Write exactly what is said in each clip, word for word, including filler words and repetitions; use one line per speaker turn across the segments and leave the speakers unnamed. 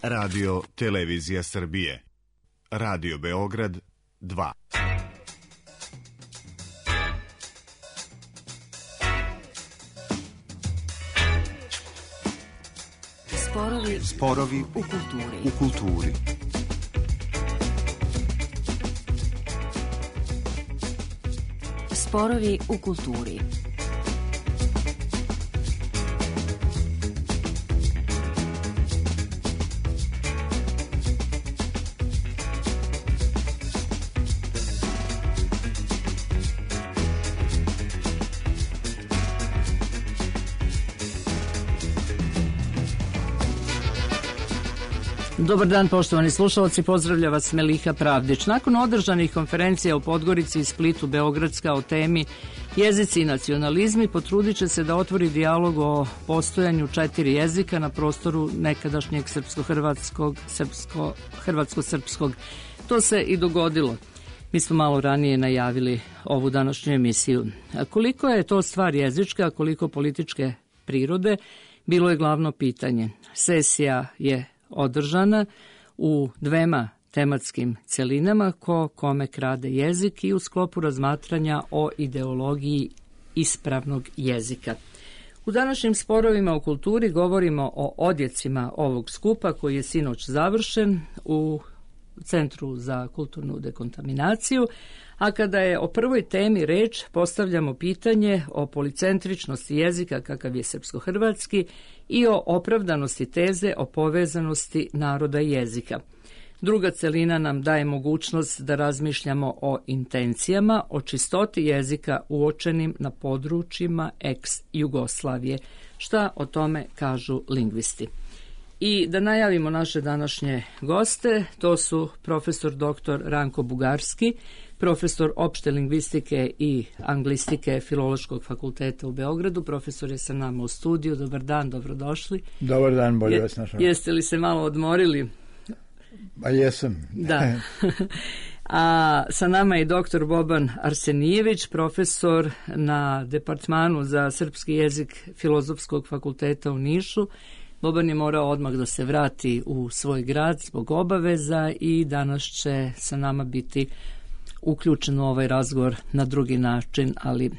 Radio Televizija Srbije. Radio Beograd dva.
Sporovi,
Sporovi
u kulturi.
u kulturi.
Sporovi u kulturi.
Dobar dan, poštovani slušalci, pozdravlja vas Meliha Pravdić. Nakon održanih konferencija u Podgorici i Splitu, Beogradska o temi jezici i nacionalizmi potrudit će se da otvori dijalog o postojanju četiri jezika na prostoru nekadašnjeg srpsko-hrvatskog, srpsko-hrvatsko-srpskog. To se i dogodilo. Mi smo malo ranije najavili ovu današnju emisiju. A koliko je to stvar jezička, a koliko političke prirode, bilo je glavno pitanje. Sesija je održana u dvema tematskim celinama, ko kome krade jezik i u sklopu razmatranja o ideologiji ispravnog jezika. U današnjim sporovima u kulturi govorimo o odjecima ovog skupa koji je sinoć završen u Centru za kulturnu dekontaminaciju, a kada je o prvoj temi reč, postavljamo pitanje o policentričnosti jezika kakav je srpsko-hrvatski i o opravdanosti teze o povezanosti naroda i jezika. Druga celina nam daje mogućnost da razmišljamo o intencijama, o čistoti jezika uočenim na područjima ex-Jugoslavije. Šta o tome kažu lingvisti? I da najavimo naše današnje goste, to su profesor doktor Ranko Bugarski, profesor opšte lingvistike i anglistike Filološkog fakulteta u Beogradu. Profesor je sa nama u studiju. Dobar dan, dobrodošli.
Dobar dan, bolje vas našao.
Jeste li se malo odmorili?
Pa jesam.
Da. A sa nama je doktor Boban Arsenijević, profesor na Departmanu za srpski jezik Filozofskog fakulteta u Nišu. Boban je morao odmah da se vrati u svoj grad zbog obaveza i danas će sa nama biti uključen u ovaj razgovor na drugi način, ali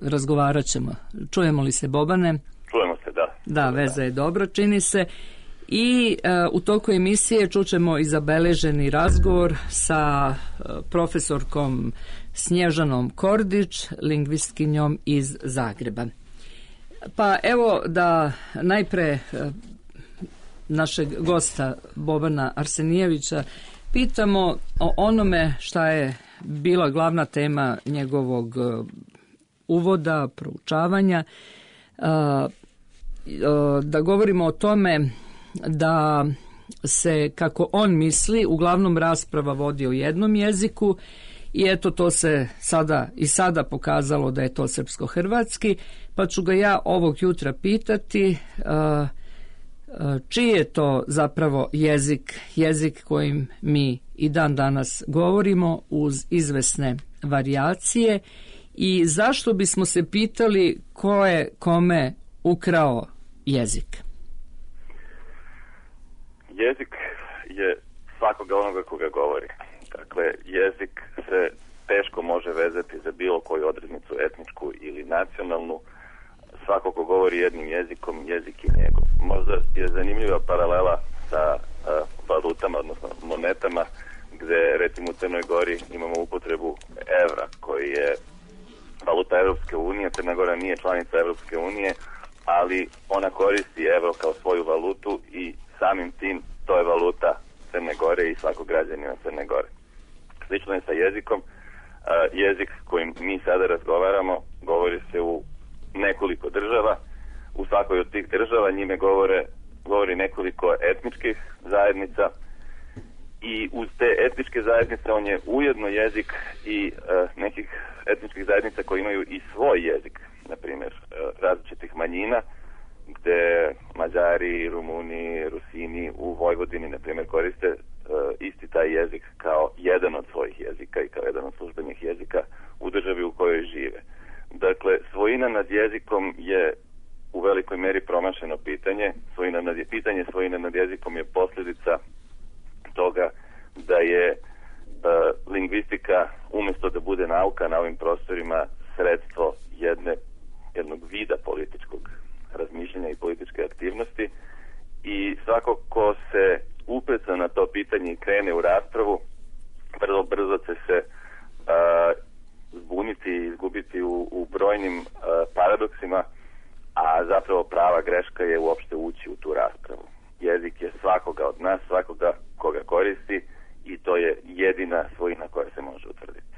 razgovarat ćemo. Čujemo li se, Bobane?
Čujemo se, da.
Da, veza je dobra, čini se. I uh, u toku emisije čućemo i zabeleženi razgovor sa uh, profesorkom Snježanom Kordić, lingvistkinjom iz Zagreba. Pa evo da najpre našeg gosta Bobana Arsenijevića pitamo o onome šta je bila glavna tema njegovog uvoda, proučavanja, da govorimo o tome da se, kako on misli, uglavnom rasprava vodi o jednom jeziku. I eto, to se sada i sada pokazalo da je to srpsko-hrvatski, pa ću ga ja ovog jutra pitati uh, uh, čiji je to zapravo jezik, jezik kojim mi i dan danas govorimo uz izvesne varijacije i zašto bismo se pitali ko je kome ukrao jezik?
Jezik je svakoga onoga koga govori. Dakle, jezik se teško može vezati za bilo koju odrednicu etničku ili nacionalnu. Svako ko govori jednim jezikom, jezik je njegov. Možda je zanimljiva paralela sa uh, valutama, odnosno monetama, gde recimo u Crnoj Gori imamo upotrebu evra, koji je valuta Evropske unije. Crna Gora nije članica Evropske unije, ali ona koristi evro kao svoju valutu i samim tim to je valuta Crne Gore i svakog građanina Crne Gore. Slično je sa jezikom. Uh, jezik kojim mi sada razgovaramo govori se u nekoliko država. U svakoj od tih država njime govore, govori nekoliko etničkih zajednica i uz te etničke zajednice on je ujedno jezik i uh, nekih etničkih zajednica koji imaju i svoj jezik, na primjer uh, različitih manjina, gde Mađari, Rumuni, Rusini u Vojvodini, na primjer, koriste uh, isti taj jezik kao jedan od svojih jezika i kao jedan od službenih jezika u državi u kojoj žive. Dakle, svojina nad jezikom je u velikoj meri promašeno pitanje. Svojina nad, pitanje svojine nad jezikom je post svako ko se upeca na to pitanje i krene u raspravu, vrlo brzo će se uh, zbuniti i izgubiti u, u brojnim uh, paradoksima, a zapravo prava greška je uopšte ući u tu raspravu. Jezik je svakoga od nas, svakoga koga koristi, i to je jedina svojina koja se može utvrditi.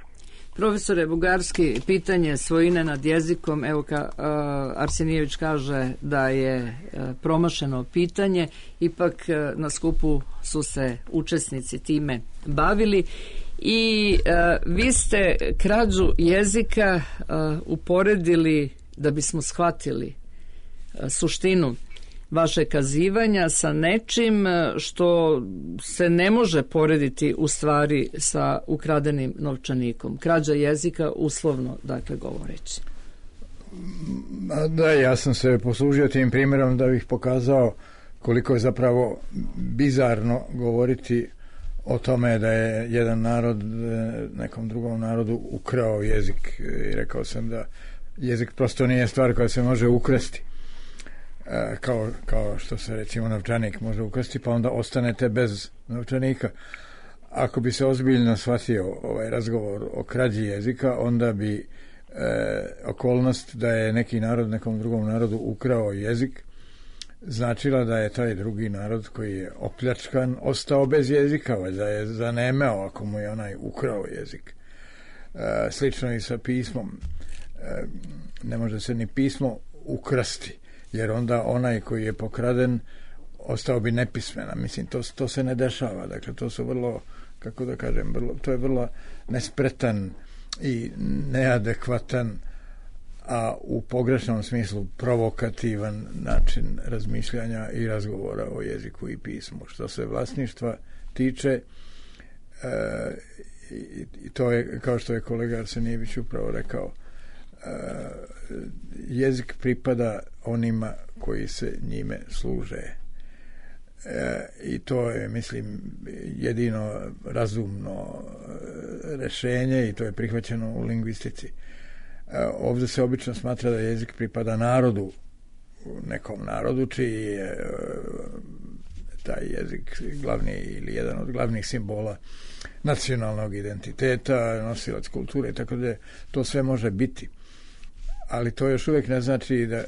Profesore Bugarski, pitanje svojine nad jezikom, evo ka, uh, Arsenijević kaže da je uh, promašeno pitanje, ipak uh, na skupu su se učesnici time bavili i uh, vi ste krađu jezika uh, uporedili, da bismo shvatili uh, suštinu vaše kazivanja, sa nečim što se ne može porediti u stvari sa ukradenim novčanikom. Krađa jezika, uslovno, dakle, govoreći.
Da, ja sam se poslužio tim primjerom da bih pokazao koliko je zapravo bizarno govoriti o tome da je jedan narod nekom drugom narodu ukrao jezik. I rekao sam da jezik prosto nije stvar koja se može ukrasti. Kao, kao što se recimo novčanik može ukrasti, pa onda ostanete bez novčanika. Ako bi se ozbiljno shvatio ovaj razgovor o krađi jezika, onda bi e, okolnost da je neki narod nekom drugom narodu ukrao jezik značila da je taj drugi narod koji je opljačkan ostao bez jezika, da je zanemeo ako mu je onaj ukrao jezik. E, slično i sa pismom. E, ne može se ni pismo ukrasti, jer onda onaj koji je pokraden ostao bi nepismena. Mislim, to, to se ne dešava. Dakle, to su vrlo, kako da kažem, vrlo, to je vrlo nespretan i neadekvatan, a u pogrešnom smislu provokativan način razmišljanja i razgovora o jeziku i pismu. Što se vlasništva tiče, e, i to je, kao što je kolega Arsenijević upravo rekao, Uh, jezik pripada onima koji se njime služe. Uh, i to je, mislim, jedino razumno uh, rešenje i to je prihvaćeno u lingvistici. Uh, ovdje se obično smatra da jezik pripada narodu, nekom narodu čiji je uh, taj jezik glavni ili jedan od glavnih simbola nacionalnog identiteta, nosilac kulture, tako da to sve može biti. Ali to još uvijek ne znači da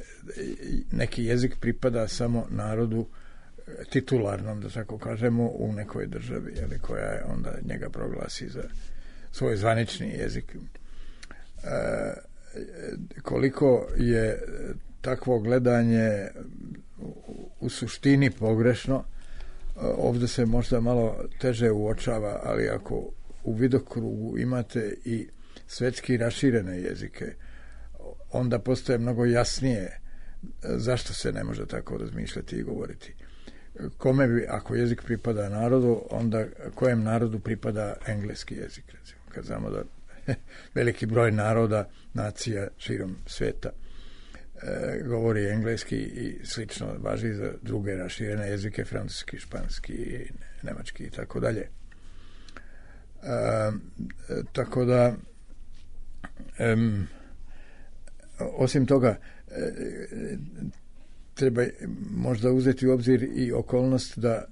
neki jezik pripada samo narodu titularnom, da tako kažemo, u nekoj državi, ali koja je onda njega proglasi za svoj zvanični jezik. E, koliko je takvo gledanje u suštini pogrešno, ovdje se možda malo teže uočava, ali ako u vidokrugu imate i svetski raširene jezike, onda postaje mnogo jasnije zašto se ne može tako razmišljati i govoriti. Kome bi, ako jezik pripada narodu, onda kojem narodu pripada engleski jezik, recimo, kad znamo da veliki broj naroda, nacija širom sveta e, govori engleski i slično važi za druge raširene jezike, francuski, španski, nemački i tako dalje. Tako da em, osim toga, treba možda uzeti u obzir i okolnost da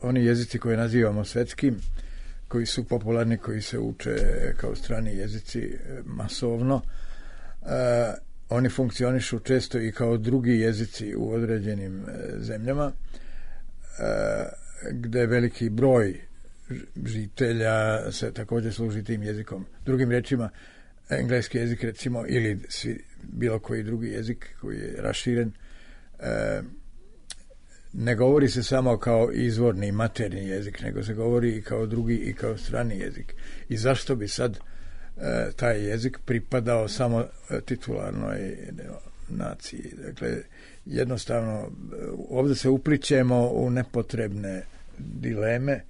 oni jezici koje nazivamo svetskim, koji su popularni, koji se uče kao strani jezici masovno, oni funkcionišu često i kao drugi jezici u određenim zemljama, gde veliki broj žitelja se također služi tim jezikom. Drugim rečima, engleski jezik, recimo, ili svi, bilo koji drugi jezik koji je raširen, e, ne govori se samo kao izvorni materni jezik, nego se govori i kao drugi i kao strani jezik. I zašto bi sad e, taj jezik pripadao samo titularnoj naciji? Dakle, jednostavno, ovdje se uplićemo u nepotrebne dileme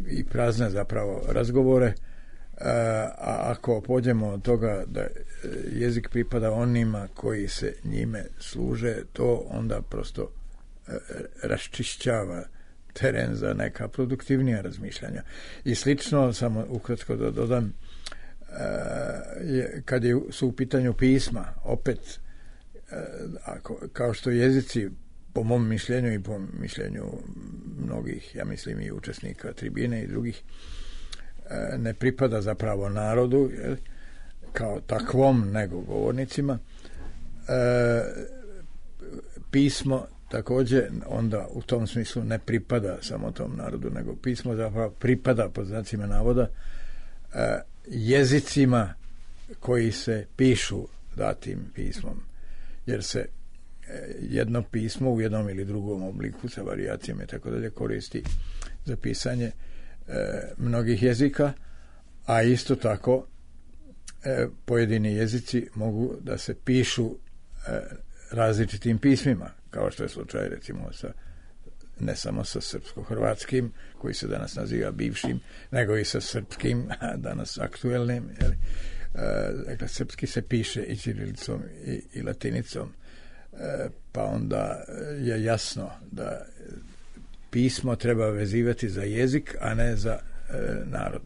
i prazne zapravo razgovore. A ako pođemo od toga da jezik pripada onima koji se njime služe, to onda prosto raščišćava teren za neka produktivnija razmišljanja. I slično, samo ukratko da dodam, kad je, su u pitanju pisma, opet, ako, kao što jezici po mom mišljenju i po mišljenju mnogih, ja mislim i učesnika tribine i drugih, ne pripada zapravo narodu, jel, kao takvom, nego govornicima. E, pismo također onda u tom smislu ne pripada samo tom narodu, nego pismo zapravo pripada, pod znacima navoda, e, jezicima koji se pišu datim pismom, jer se jedno pismo u jednom ili drugom obliku sa varijacijama i tako dalje koristi za pisanje e, mnogih jezika, a isto tako e, pojedini jezici mogu da se pišu e, različitim pismima, kao što je slučaj recimo sa, ne samo sa srpsko-hrvatskim, koji se danas naziva bivšim, nego i sa srpskim, danas aktuelnim. Jeli? E, dakle, srpski se piše i ćirilicom i, i latinicom, e, pa onda je jasno da pismo treba vezivati za jezik, a ne za e, narod.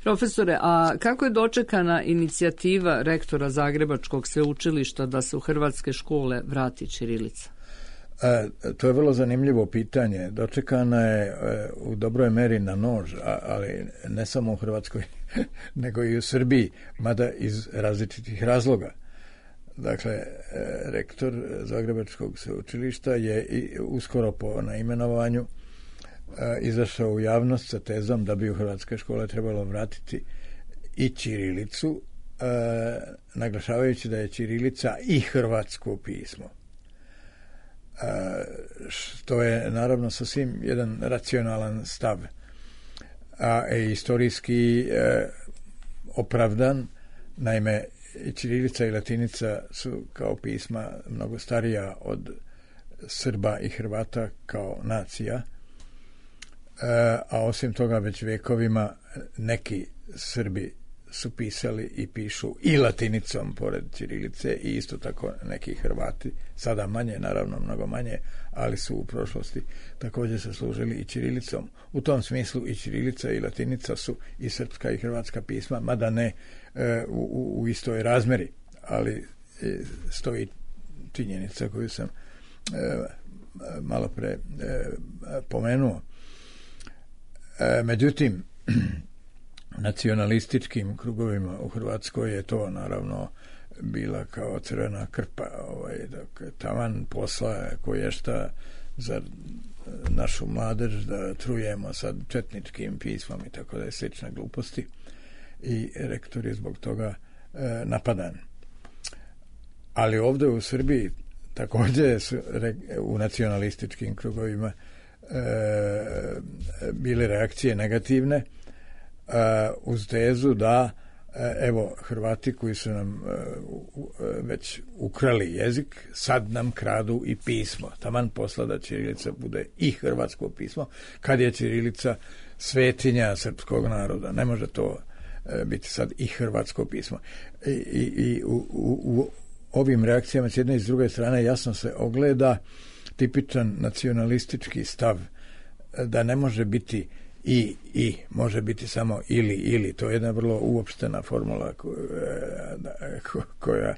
Profesore, a kako je dočekana inicijativa rektora Zagrebačkog sveučilišta da se u hrvatske škole vrati ćirilica?
E, to je vrlo zanimljivo pitanje. Dočekana je e, u dobroj meri na nož, a, ali ne samo u Hrvatskoj, nego i u Srbiji, mada iz različitih razloga. Dakle, e, rektor Zagrebačkog sveučilišta je i uskoro po naimenovanju e, izašao u javnost sa tezom da bi u hrvatske škole trebalo vratiti i ćirilicu, e, naglašavajući da je ćirilica i hrvatsko pismo. Što je naravno sasvim jedan racionalan stav, a istorijski e, opravdan. Naime, ćirilica i latinica su kao pisma mnogo starija od Srba i Hrvata kao nacija, e, a osim toga već vekovima neki Srbi su pisali i pišu i latinicom pored ćirilice i isto tako neki Hrvati, sada manje, naravno mnogo manje, ali su u prošlosti također se služili i ćirilicom. U tom smislu i ćirilica i latinica su i srpska i hrvatska pisma, mada ne e, u, u istoj razmeri, ali e, stoji činjenica koju sam e, malo pre e, pomenuo. E, međutim, nacionalističkim krugovima u Hrvatskoj je to naravno bila kao crvena krpa, ovaj, dakle, taman posla koje šta za našu mladež da trujemo sad četničkim pismom i tako da je slične gluposti, i rektor je zbog toga e, napadan. Ali ovdje u Srbiji također su re, u nacionalističkim krugovima e, bile reakcije negativne, Uh, uz tezu da uh, evo Hrvati koji su nam uh, uh, već ukrali jezik, sad nam kradu i pismo. Taman posla da ćirilica bude i hrvatsko pismo, kad je ćirilica svetinja srpskog naroda. Ne može to uh, biti sad i hrvatsko pismo. I, i, i u, u, u ovim reakcijama s jedne i s druge strane jasno se ogleda tipičan nacionalistički stav da ne može biti i, i, može biti samo ili, ili. To je jedna vrlo uopštena formula koja,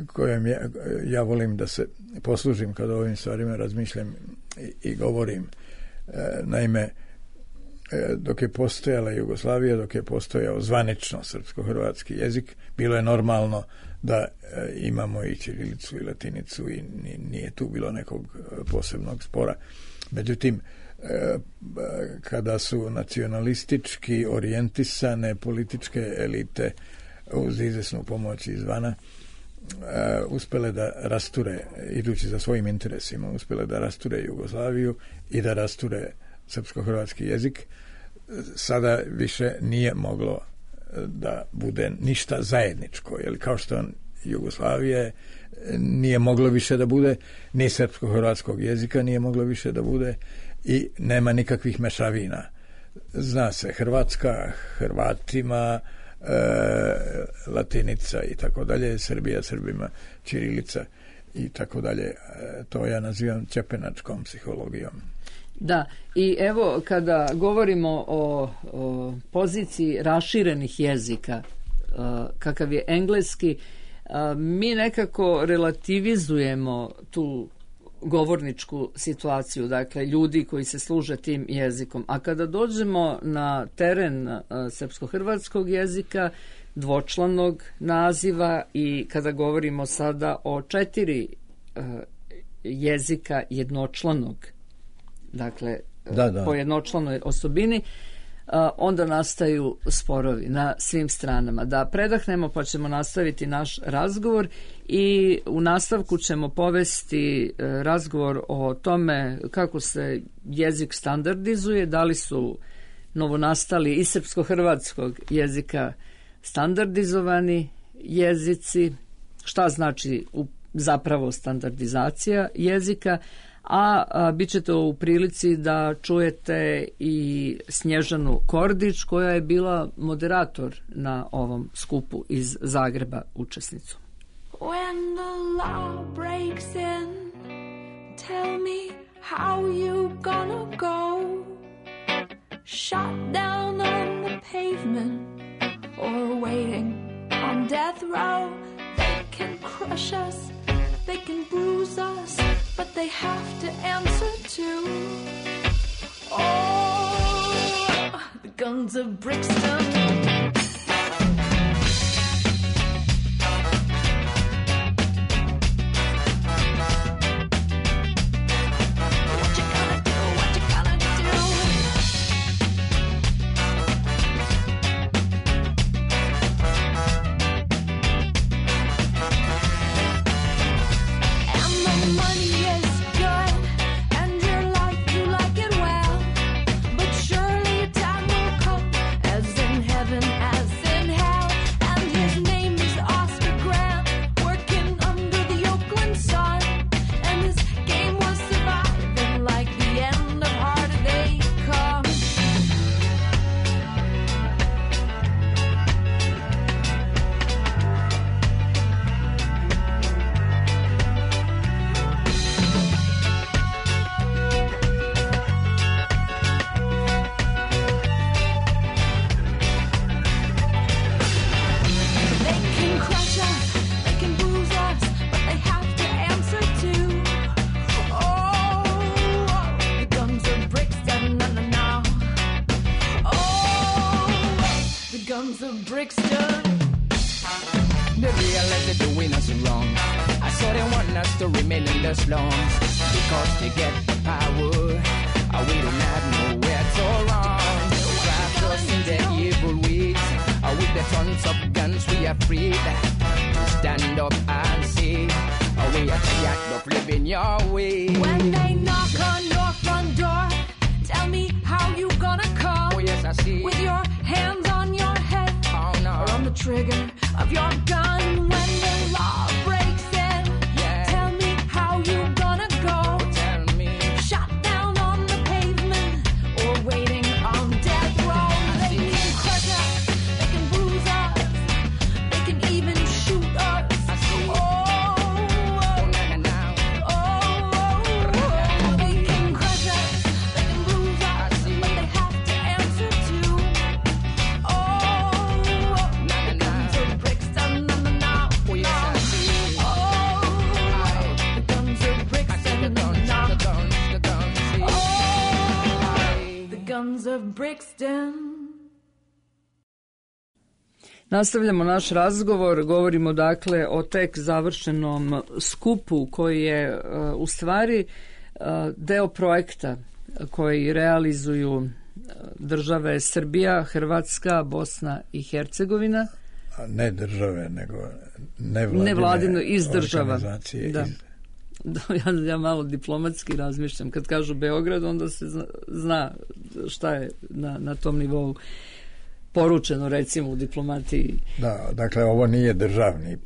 kojom ja, ja volim da se poslužim kad o ovim stvarima razmišljam i, i govorim. Naime, dok je postojala Jugoslavija, dok je postojao zvanično srpsko-hrvatski jezik, bilo je normalno da imamo i ćirilicu i latinicu i nije tu bilo nekog posebnog spora. Međutim, kada su nacionalistički orijentisane političke elite uz izvesnu pomoć izvana uspjele da rasture, idući za svojim interesima, uspjele da rasture Jugoslaviju i da rasture srpsko-hrvatski jezik, sada više nije moglo da bude ništa zajedničko, jer kao što Jugoslavije nije moglo više da bude, ni srpsko-hrvatskog jezika nije moglo više da bude, i nema nikakvih mešavina. Zna se Hrvatska Hrvatima, e, latinica i tako dalje, Srbija Srbima, ćirilica i tako dalje. E, to ja nazivam čepenačkom psihologijom.
Da, i evo kada govorimo o, o poziciji raširenih jezika, kakav je engleski, mi nekako relativizujemo tu govorničku situaciju, dakle ljudi koji se služe tim jezikom. A kada dođemo na teren uh, srpsko-hrvatskog jezika, dvočlanog naziva, i kada govorimo sada o četiri uh, jezika jednočlanog, dakle
da, da.
po jednočlanoj osobini, onda nastaju sporovi na svim stranama. Da predahnemo pa ćemo nastaviti naš razgovor, i u nastavku ćemo povesti razgovor o tome kako se jezik standardizuje, da li su novonastali iz srpsko-hrvatskog jezika standardizovani jezici, šta znači zapravo standardizacija jezika, a, a bit ćete u prilici da čujete i Snježanu Kordić, koja je bila moderator na ovom skupu iz Zagreba, učesnicu.
When the law breaks in, tell me how you gonna go. Shot down on the pavement or waiting on death row. They can crush us, they can bruise us, but they have to answer to, oh, the guns of Brixton.
Nastavljamo naš razgovor, govorimo dakle o tek završenom skupu koji je uh, u stvari uh, deo projekta koji realizuju države Srbija, Hrvatska, Bosna i Hercegovina.
A ne države, nego nevladine,
nevladino iz država.
Organizacije.
Da.
Iz...
Ja, ja malo diplomatski razmišljam. Kad kažu Beograd, onda se zna, zna šta je na, na tom nivou poručeno, recimo, u diplomatiji.
Da, dakle, ovo nije državni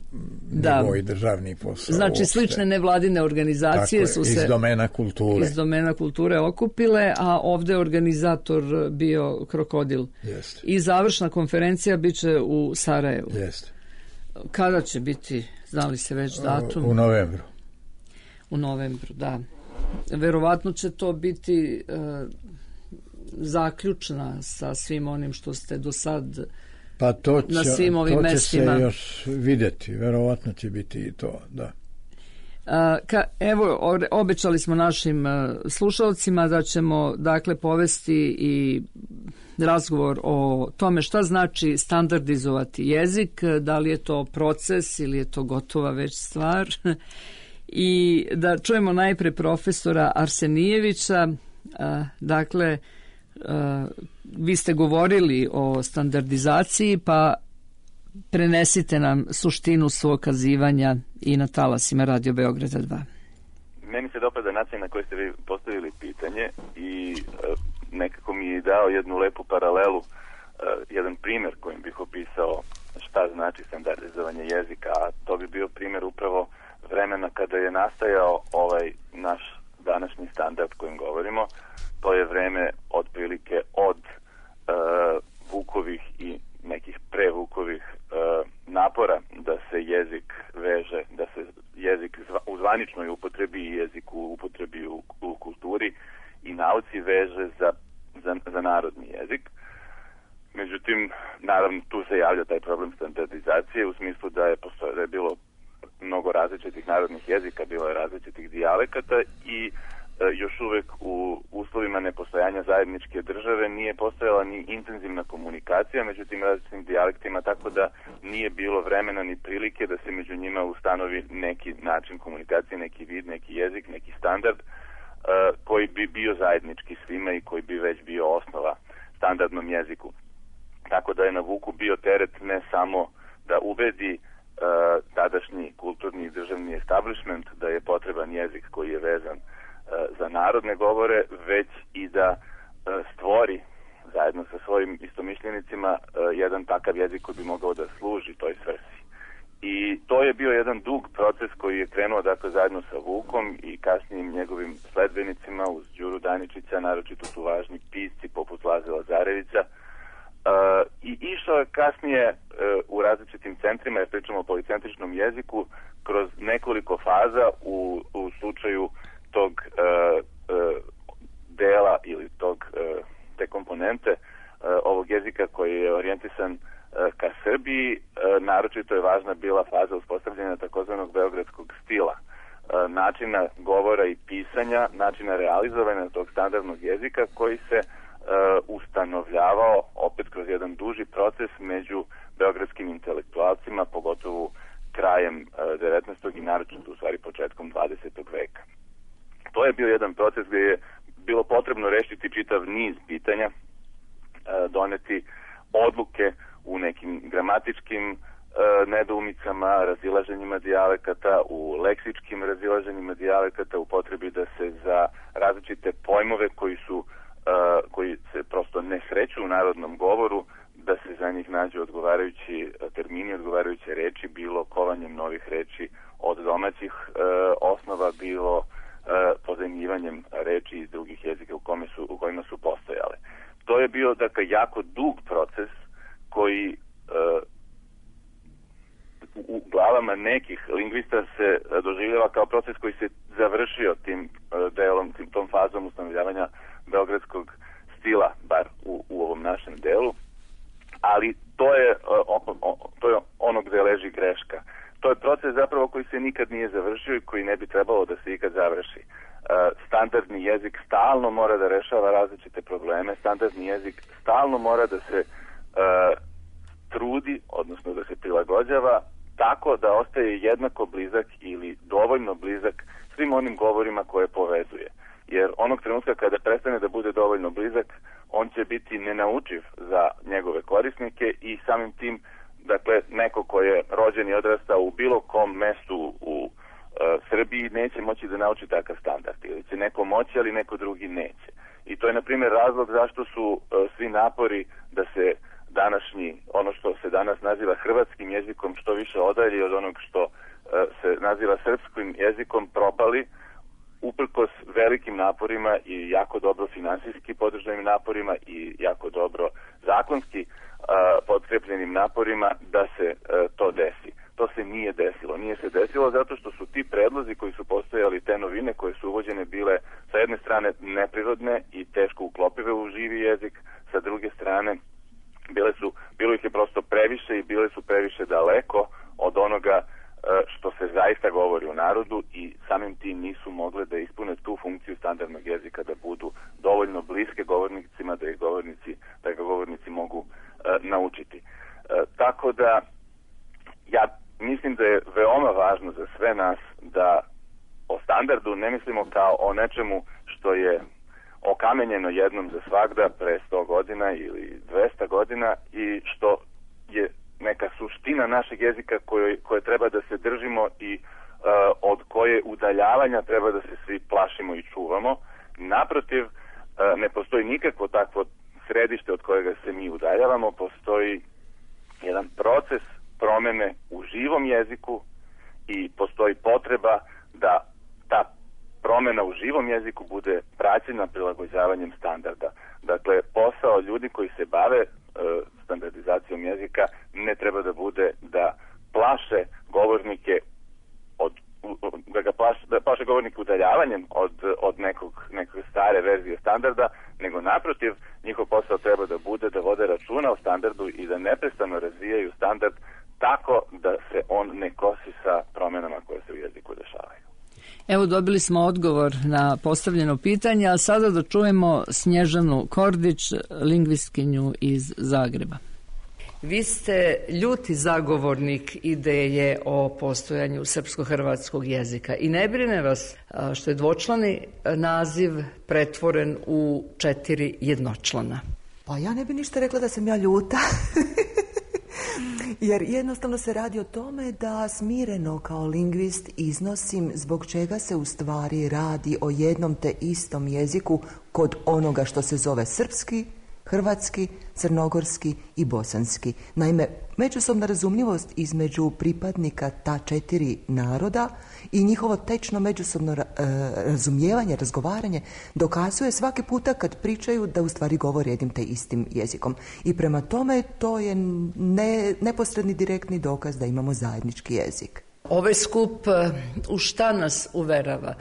da.
nivo i državni posao.
Znači, uopšte. Slične nevladine organizacije dakle, su se
iz domena kulture.
iz domena kulture okupile, a ovdje organizator bio Krokodil.
Jeste.
I završna konferencija bit će u Sarajevu.
Jeste.
Kada će biti, znali se već datum?
U novembru.
U novembru, da. Verovatno će to biti uh, zaključna sa svim onim što ste do sad
pa to će,
na svim ovim
to će
mestima.
se još vidjeti, verovatno će biti i to, da.
Ka, evo, obećali smo našim slušalcima da ćemo dakle povesti i razgovor o tome šta znači standardizovati jezik, da li je to proces ili je to gotova već stvar. I da čujemo najpre profesora Arsenijevića. Dakle, vi ste govorili o standardizaciji, pa prenesite nam suštinu svog kazivanja i na talasima Radio Beograda dva.
Meni se dopada način na koji ste vi postavili pitanje i e, nekako mi je dao jednu lepu paralelu, e, jedan primjer kojim bih opisao šta znači standardizovanje jezika, a to bi bio primjer upravo vremena kada je nastajao ovaj naš današnji standard kojim govorimo. To je vreme otprilike od e, Vukovih i nekih prevukovih e, napora da se jezik veže, da se jezik zva, u zvaničnoj upotrebi i jezik u upotrebi u, u kulturi i nauci veže za, za, za narodni jezik. Međutim, naravno, tu se javlja taj problem standardizacije u smislu da je, postoje, da je bilo mnogo različitih narodnih jezika, bilo je različitih dijalekata i još uvek u uslovima nepostojanja zajedničke države nije postojala ni intenzivna komunikacija među tim različitim dijalektima, tako da nije bilo vremena ni prilike da se među njima ustanovi neki način komunikacije, neki vid, neki jezik, neki standard uh, koji bi bio zajednički svima i koji bi već bio osnova standardnom jeziku. Tako da je na Vuku bio teret ne samo da ubedi uh, tadašnji kulturni i državni establishment da je potreban jezik koji je vezan za narodne govore, već i da stvori zajedno sa svojim istomišljenicima jedan takav jezik koji bi mogao da služi toj svrsi. I to je bio jedan dug proces koji je krenuo dakle zajedno sa Vukom i kasnijim njegovim sledbenicima uz Đuru Daničića, naročito su važni pisci poput Laze Lazarevića. Uh, I išao je kasnije uh, u različitim centrima, jer pričamo o policentričnom jeziku, kroz nekoliko faza u, u slučaju tog uh, uh, dela ili tog uh, te komponente uh, ovog jezika koji je orijentisan uh, ka Srbiji. Uh, naročito je važna bila faza uspostavljanja takozvanog beogradskog stila, uh, načina govora i pisanja, načina realizovanja tog standardnog jezika koji se uh, ustanovljavao opet kroz jedan duži proces među beogradskim intelektualcima, pogotovo krajem uh, devetnaestog i naročito u stvari početkom dvadesetog veka. To je bio jedan proces gdje je bilo potrebno rešiti čitav niz pitanja, doneti odluke u nekim gramatičkim nedoumicama, razilaženjima dijalekata, u leksičkim razilaženjima dijalekata, u potrebi da se za različite pojmove koji su koji se prosto ne sreću u narodnom govoru, da se za njih nađu odgovarajući termini, odgovarajuće reči, bilo kovanjem novih reči od domaćih osnova, bilo pozajmljivanjem reči iz drugih jezika u, kome su, u kojima su postojale. To je bio dakle jako dug proces koji uh, u glavama nekih lingvista se doživljava kao proces koji se završio tim uh, delom, tim, tom fazom ustanovljavanja beogradskog stila, bar u, u ovom našem delu, ali to je, uh, o, o, to je ono gde leži greška. To je proces zapravo koji se nikad nije završio i koji ne bi trebalo da se ikad završi. Standardni jezik stalno mora da rešava različite probleme, standardni jezik stalno mora da se uh, trudi, odnosno da se prilagođava tako da ostaje jednako blizak ili dovoljno blizak svim onim govorima koje povezuje. Jer onog trenutka kada prestane da bude dovoljno blizak, on će biti nenaučiv za njegove korisnike i samim tim, dakle, neko ko je rođen i odrastao u bilo kom mestu u uh, Srbiji neće moći da nauči takav standard. Ili će neko moći, ali neko drugi neće. I to je, na primjer, razlog zašto su uh, svi napori da se današnji, ono što se danas naziva hrvatskim jezikom, što više odalji od onog što uh, se naziva srpskim jezikom, propali, uprkos velikim naporima i jako dobro finansijski podržanim naporima i jako dobro zakonski uh, potkrepljenim naporima da se uh, to desi. To se nije desilo. Nije se desilo zato što su ti predlozi koji su postojali, te novine koje su uvođene, bile sa jedne strane neprirodne i teško uklopive u živi jezik, sa druge strane bile su, bilo ih je prosto previše i bile su previše daleko od onoga što se se zaista govori u narodu i samim tim nisu mogle da ispune tu funkciju standardnog jezika, da budu dovoljno bliske govornicima, da ih govornici, da ga govornici mogu e, naučiti. E, tako da ja mislim da je veoma važno za sve nas da o standardu ne mislimo kao o nečemu što je okamenjeno jednom za svagda pre sto godina ili dvesta godina i što je neka suština našeg jezika koje, koje treba da se držimo i uh, od koje udaljavanja treba da se svi plašimo i čuvamo. Naprotiv, uh, ne postoji nikakvo takvo središte od kojega se mi udaljavamo, postoji jedan proces promene u živom jeziku i postoji potreba da ta promena u živom jeziku bude praćena prilagođavanjem standarda. Dakle, posao ljudi koji se bave e, standardizacijom jezika ne treba da bude da plaše govornike od, da ga plaše, da plaše govornike udaljavanjem od, od nekog, nekog stare verzije standarda, nego naprotiv, njihov posao treba da bude da vode računa o standardu i da neprestano razvijaju standard tako da se on ne kosi sa promenama koje se u jeziku dešavaju.
Evo, dobili smo odgovor na postavljeno pitanje, a sada da čujemo Snježanu Kordić, lingvistkinju iz Zagreba. Vi ste ljuti zagovornik ideje o postojanju srpsko-hrvatskog jezika i ne brine vas što je dvočlani naziv pretvoren u četiri jednočlana.
Pa ja ne bi ništa rekla da sam ja ljuta. Jer jednostavno se radi o tome da smireno kao lingvist iznosim zbog čega se u stvari radi o jednom te istom jeziku kod onoga što se zove srpski, hrvatski, crnogorski i bosanski. Naime, međusobna razumljivost između pripadnika ta četiri naroda i njihovo tečno međusobno ra- razumijevanje, razgovaranje dokazuje svaki puta kad pričaju da u stvari govore jednim te istim jezikom. I prema tome to je ne, neposredni direktni dokaz da imamo zajednički jezik.
Ovaj skup u šta nas uverava?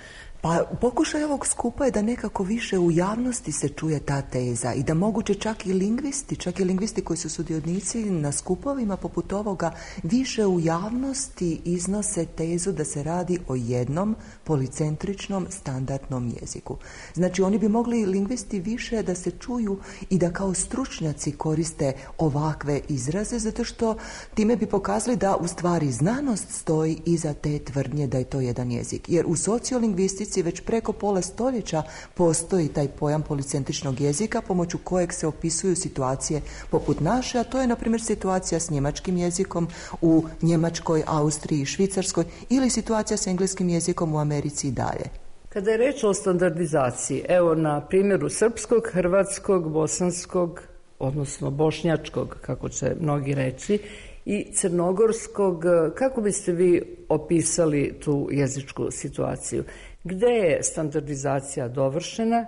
Pa pokušaj ovog skupa je da nekako više u javnosti se čuje ta teza i da moguće čak i lingvisti, čak i lingvisti koji su sudionici na skupovima poput ovoga, više u javnosti iznose tezu da se radi o jednom policentričnom standardnom jeziku. Znači oni bi mogli lingvisti više da se čuju i da kao stručnjaci koriste ovakve izraze, zato što time bi pokazali da u stvari znanost stoji iza te tvrdnje da je to jedan jezik. Jer u sociolingvistici već preko pola stoljeća postoji taj pojam policentričnog jezika pomoću kojeg se opisuju situacije poput naše, a to je na primjer situacija s njemačkim jezikom u Njemačkoj, Austriji i Švicarskoj ili situacija s engleskim jezikom u Americi i dalje.
Kada je reč o standardizaciji, evo na primjeru srpskog, hrvatskog, bosanskog, odnosno bošnjačkog, kako će mnogi reći, i crnogorskog, kako biste vi opisali tu jezičku situaciju? Gde je standardizacija dovršena,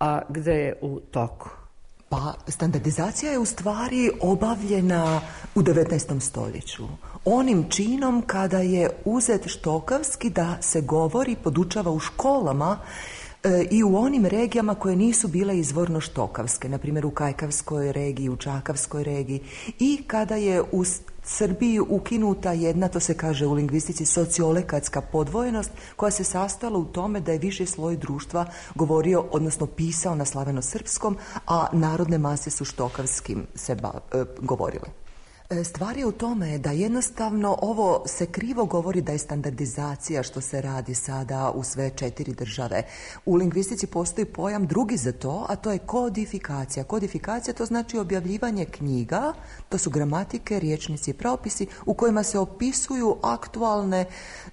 a gde je u toku?
Pa standardizacija je u stvari obavljena u devetnaestom stoljeću. Onim činom kada je uzet štokavski da se govori, podučava u školama e, i u onim regijama koje nisu bile izvorno štokavske, na primjer u Kajkavskoj regiji, u Čakavskoj regiji, i kada je u Srbiji ukinuta jedna, to se kaže u lingvistici, sociolekatska podvojenost koja se sastala u tome da je viši sloj društva govorio, odnosno pisao na slaveno-srpskom, a narodne mase su štokavskim se ba, e, govorile. Stvar je u tome da jednostavno ovo se krivo govori da je standardizacija što se radi sada u sve četiri države. U lingvistici postoji pojam drugi za to, a to je kodifikacija. Kodifikacija to znači objavljivanje knjiga, to su gramatike, riječnici i pravopisi u kojima se opisuju aktualne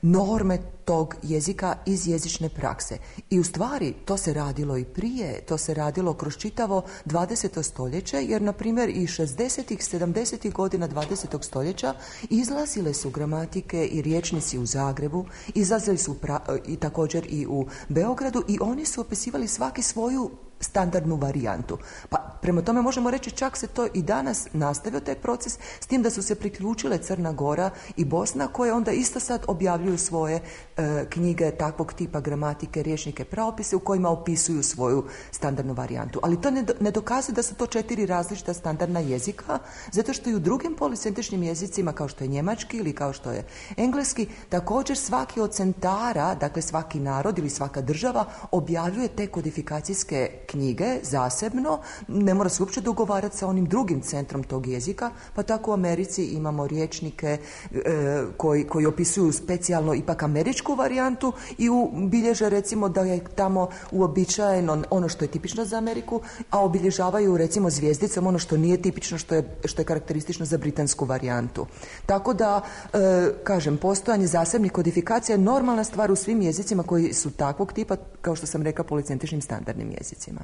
norme tog jezika iz jezične prakse. I u stvari to se radilo i prije, to se radilo kroz čitavo dvadeseto stoljeće, jer na primjer i šezdesetih, sedamdesetih godina dvadesetog stoljeća izlazile su gramatike i riječnici u Zagrebu, izlazili su pra, i također i u Beogradu i oni su opisivali svaki svoju standardnu varijantu. Pa prema tome možemo reći čak se to i danas nastavio taj proces, s tim da su se priključile Crna Gora i Bosna, koje onda isto sad objavljuju svoje e, knjige takvog tipa, gramatike, rječnike, pravopise u kojima opisuju svoju standardnu varijantu. Ali to ne, ne dokazuje da su to četiri različita standardna jezika, zato što i u drugim policentričnim jezicima, kao što je njemački ili kao što je engleski, također svaki od centara, dakle svaki narod ili svaka država objavljuje te kodifikacijske knjige zasebno, ne mora se uopće dogovarati sa onim drugim centrom tog jezika, pa tako u Americi imamo rječnike e, koji, koji opisuju specijalno ipak američku varijantu i u, bilježe recimo da je tamo uobičajeno ono što je tipično za Ameriku, a obilježavaju recimo zvijezdicom ono što nije tipično, što je, što je karakteristično za britansku varijantu. Tako da, e, kažem, postojanje zasebnih kodifikacija je normalna stvar u svim jezicima koji su takvog tipa, kao što sam rekla, policentričnim standardnim jezicima.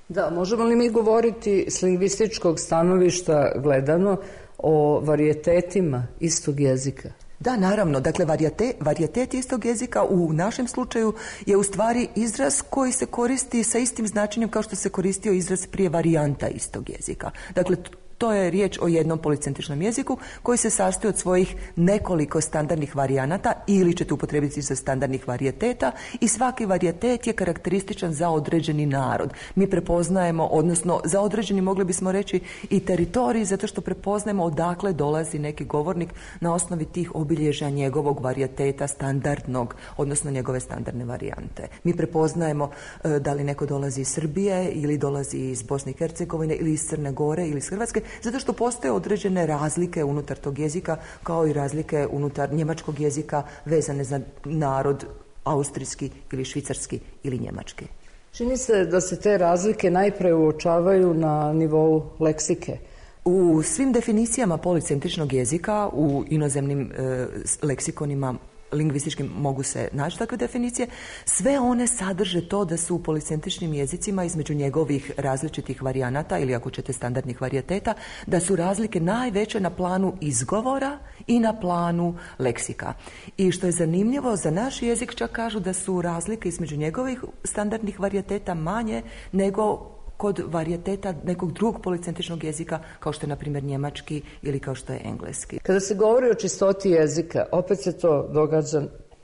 Da, možemo li mi govoriti s lingvističkog stanovišta gledano o varijetetima istog jezika?
Da, naravno. Dakle, varijete, varijetet istog jezika u našem slučaju je u stvari izraz koji se koristi sa istim značenjem kao što se koristio izraz prije varijanta istog jezika. Dakle, to je riječ o jednom policentričnom jeziku koji se sastoji od svojih nekoliko standardnih varijanata ili ćete upotrijebiti za standardnih varijeteta i svaki varijetet je karakterističan za određeni narod. Mi prepoznajemo, odnosno za određeni mogli bismo reći i teritorij, zato što prepoznajemo odakle dolazi neki govornik na osnovi tih obilježja njegovog varijeteta standardnog, odnosno njegove standardne varijante. Mi prepoznajemo e, da li neko dolazi iz Srbije ili dolazi iz Bosne i Hercegovine ili iz Crne Gore ili iz Hrvatske, zato što postoje određene razlike unutar tog jezika, kao i razlike unutar njemačkog jezika vezane za narod austrijski ili švicarski ili njemački.
Čini se da se te razlike najpre uočavaju na nivou leksike.
U svim definicijama policentričnog jezika, u inozemnim e, leksikonima lingvističkim mogu se naći takve definicije, sve one sadrže to da su u policentričnim jezicima između njegovih različitih varijanata ili ako ćete standardnih varijeteta, da su razlike najveće na planu izgovora i na planu leksika. I što je zanimljivo, za naš jezik čak kažu da su razlike između njegovih standardnih varijeteta manje nego kod varijeteta nekog drugog policentričnog jezika, kao što je, na primjer, njemački ili kao što je engleski.
Kada se govori o čistoti jezika, opet se to događa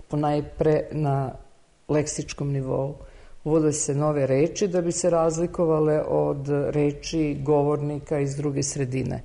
ponajpre na leksičkom nivou. Uvode se nove reči da bi se razlikovale od reči govornika iz druge sredine,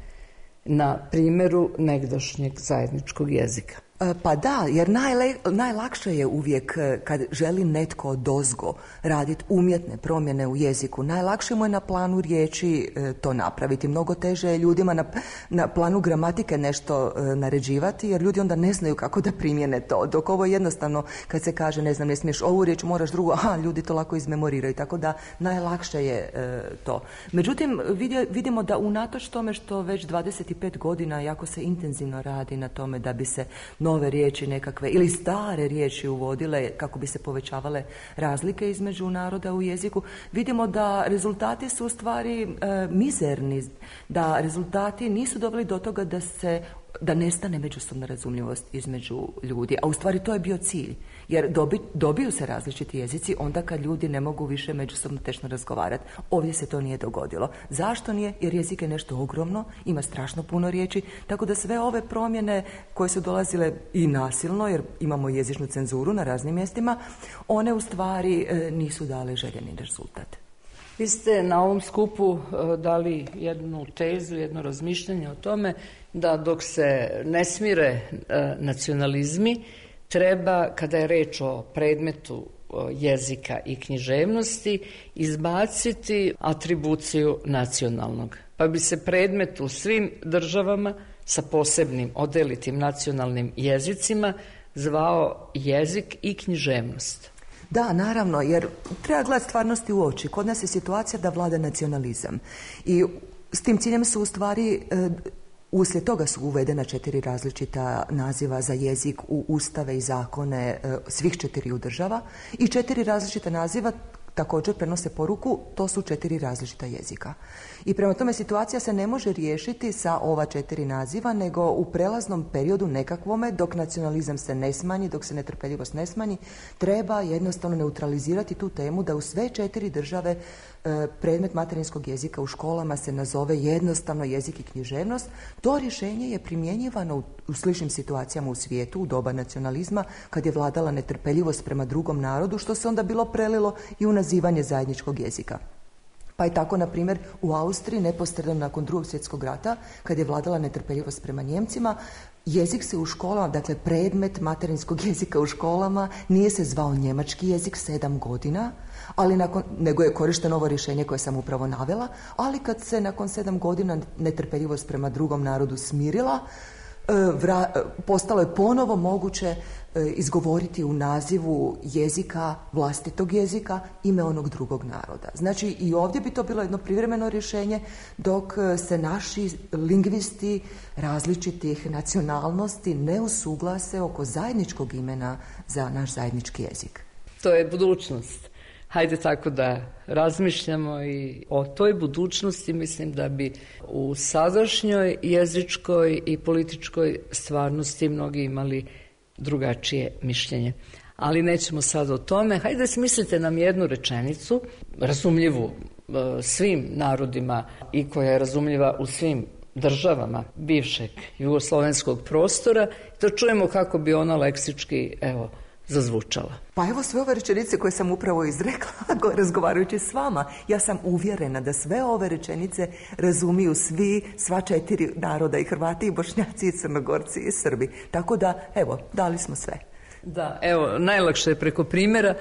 na primjeru negdašnjeg zajedničkog jezika.
Pa da, jer najle, najlakše je uvijek kad želi netko odozgo raditi umjetne promjene u jeziku. Najlakše mu je na planu riječi e, to napraviti. Mnogo teže je ljudima na, na planu gramatike nešto e, naređivati, jer ljudi onda ne znaju kako da primjene to. Dok ovo jednostavno, kad se kaže, ne znam, ne smiješ ovu riječ, moraš drugu, aha, ljudi to lako izmemoriraju. Tako da najlakše je e, to. Međutim, vidje, vidimo da unatoč tome što već dvadeset pet godina jako se intenzivno radi na tome da bi se nove riječi nekakve ili stare riječi uvodile kako bi se povećavale razlike između naroda u jeziku, vidimo da rezultati su u stvari e, mizerni, da rezultati nisu doveli do toga da se da nestane međusobna razumljivost između ljudi, a u stvari to je bio cilj, jer dobi, dobiju se različiti jezici onda kad ljudi ne mogu više međusobno tešno razgovarati. Ovdje se to nije dogodilo. Zašto nije? Jer jezik je nešto ogromno, ima strašno puno riječi, tako da sve ove promjene koje su dolazile i nasilno, jer imamo jezičnu cenzuru na raznim mjestima, one u stvari e, nisu dale željeni rezultat.
Vi ste na ovom skupu dali jednu tezu, jedno razmišljanje o tome da dok se ne smire nacionalizmi, treba, kada je reč o predmetu jezika i književnosti, izbaciti atribuciju nacionalnog. Pa bi se predmet u svim državama sa posebnim odelitim nacionalnim jezicima zvao jezik i književnost.
Da, naravno, jer treba gledati stvarnosti u oči. Kod nas je situacija da vlada nacionalizam. I s tim ciljem su u stvari, e, uslijed toga su uvedena četiri različita naziva za jezik u ustave i zakone e, svih četiriju država i četiri različita naziva također prenose poruku, to su četiri različita jezika. I prema tome situacija se ne može riješiti sa ova četiri naziva, nego u prelaznom periodu nekakvome, dok nacionalizam se ne smanji, dok se netrpeljivost ne smanji, treba jednostavno neutralizirati tu temu da u sve četiri države e, predmet materinskog jezika u školama se nazove jednostavno jezik i književnost. To rješenje je primjenjivano u, u sličnim situacijama u svijetu, u doba nacionalizma, kad je vladala netrpeljivost prema drugom narodu, što se onda bilo prelilo i u nazivanje zajedničkog jezika. Pa je tako, na primjer, u Austriji neposredno nakon drugog svjetskog rata, kad je vladala netrpeljivost prema Njemcima, jezik se u školama, dakle predmet materinskog jezika u školama, nije se zvao njemački jezik sedam godina, ali nakon, nego je korišteno ovo rješenje koje sam upravo navela, ali kad se nakon sedam godina netrpeljivost prema drugom narodu smirila, Vra, postalo je ponovo moguće izgovoriti u nazivu jezika, vlastitog jezika, ime onog drugog naroda. Znači i ovdje bi to bilo jedno privremeno rješenje, dok se naši lingvisti različitih nacionalnosti ne usuglase oko zajedničkog imena za naš zajednički jezik.
To je budućnost. Hajde tako da razmišljamo i o toj budućnosti. Mislim da bi u sadašnjoj jezičkoj i političkoj stvarnosti mnogi imali drugačije mišljenje. Ali nećemo sad o tome. Hajde smislite nam jednu rečenicu, razumljivu e, svim narodima i koja je razumljiva u svim državama bivšeg jugoslovenskog prostora, da čujemo kako bi ona leksički, evo, zazvučala.
Pa evo sve ove rečenice koje sam upravo izrekla razgovarajući s vama. Ja sam uvjerena da sve ove rečenice razumiju svi, sva četiri naroda, i Hrvati, i Bošnjaci, i Crnogorci, i Srbi. Tako da, evo, dali smo sve.
Da, evo, najlakše je preko primjera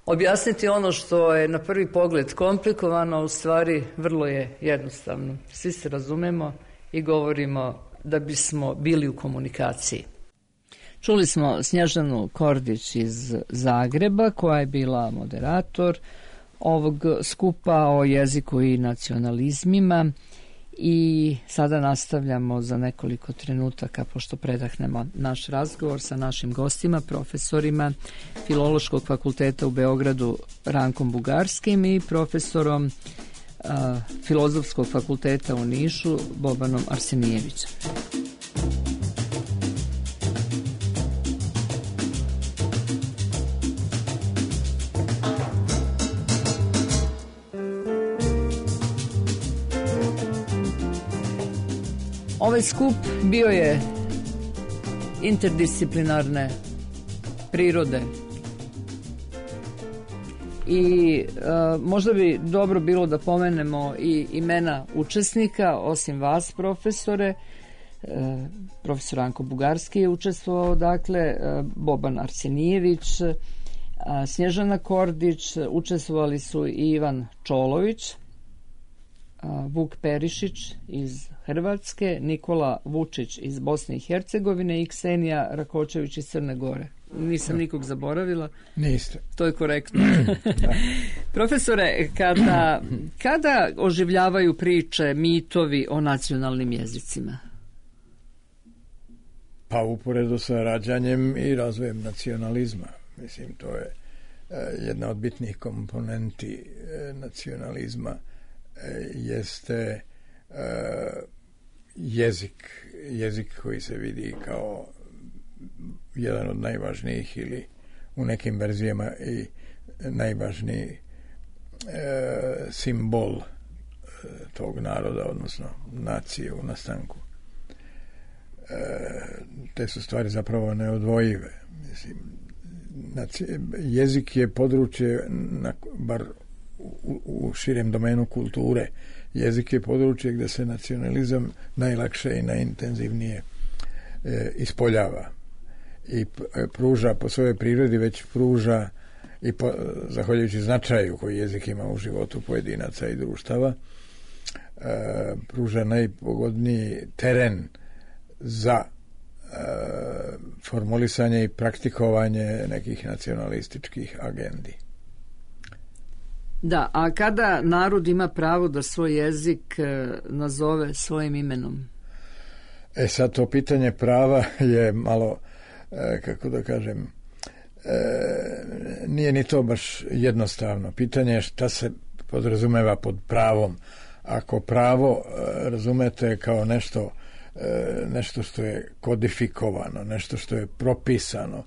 objasniti ono što je na prvi pogled komplikovano, u stvari vrlo je jednostavno. Svi se razumemo i govorimo da bismo bili u komunikaciji. Čuli smo Snježanu Kordić iz Zagreba, koja je bila moderator ovog skupa o jeziku i nacionalizmima, i sada nastavljamo za nekoliko trenutaka, pošto predahnemo naš razgovor sa našim gostima, profesorima Filološkog fakulteta u Beogradu Rankom Bugarskim i profesorom a, Filozofskog fakulteta u Nišu Bobanom Arsenijevićem. Ovaj skup bio je interdisciplinarne prirode i e, možda bi dobro bilo da pomenemo i imena učesnika, osim vas, profesore. E, profesor Ranko Bugarski je učestvovao, dakle, e, Boban Arsenijević, e, Snježana Kordić, učestvovali su i Ivan Čolović, Vuk Perišić iz Hrvatske, Nikola Vučić iz Bosne i Hercegovine i Ksenija Rakočević iz Crne Gore. Nisam nikog zaboravila.
Niste.
To je korektno. Profesore, kada, kada oživljavaju priče, mitovi o nacionalnim jezicima?
Pa uporedo sa rađanjem i razvojem nacionalizma. Mislim, to je jedna od bitnih komponenti nacionalizma. Jeste uh, jezik, jezik koji se vidi kao jedan od najvažnijih ili u nekim verzijama i najvažniji uh, simbol uh, tog naroda, odnosno nacije u nastanku. Uh, te su stvari zapravo neodvojive. Mislim, nacije, jezik je područje, na, bar U, u širem domenu kulture. Jezik je područje gdje se nacionalizam najlakše i najintenzivnije e, ispoljava i pruža po svojoj prirodi, već pruža i po, zahvaljujući značaju koji jezik ima u životu pojedinaca i društava, e, pruža najpogodniji teren za e, formulisanje i praktikovanje nekih nacionalističkih agendi.
Da, a kada narod ima pravo da svoj jezik e, nazove svojim imenom?
E sad, to pitanje prava je malo, e, kako da kažem, e, nije ni to baš jednostavno. Pitanje je šta se podrazumeva pod pravom. Ako pravo razumete kao nešto, nešto što je kodifikovano, nešto što je propisano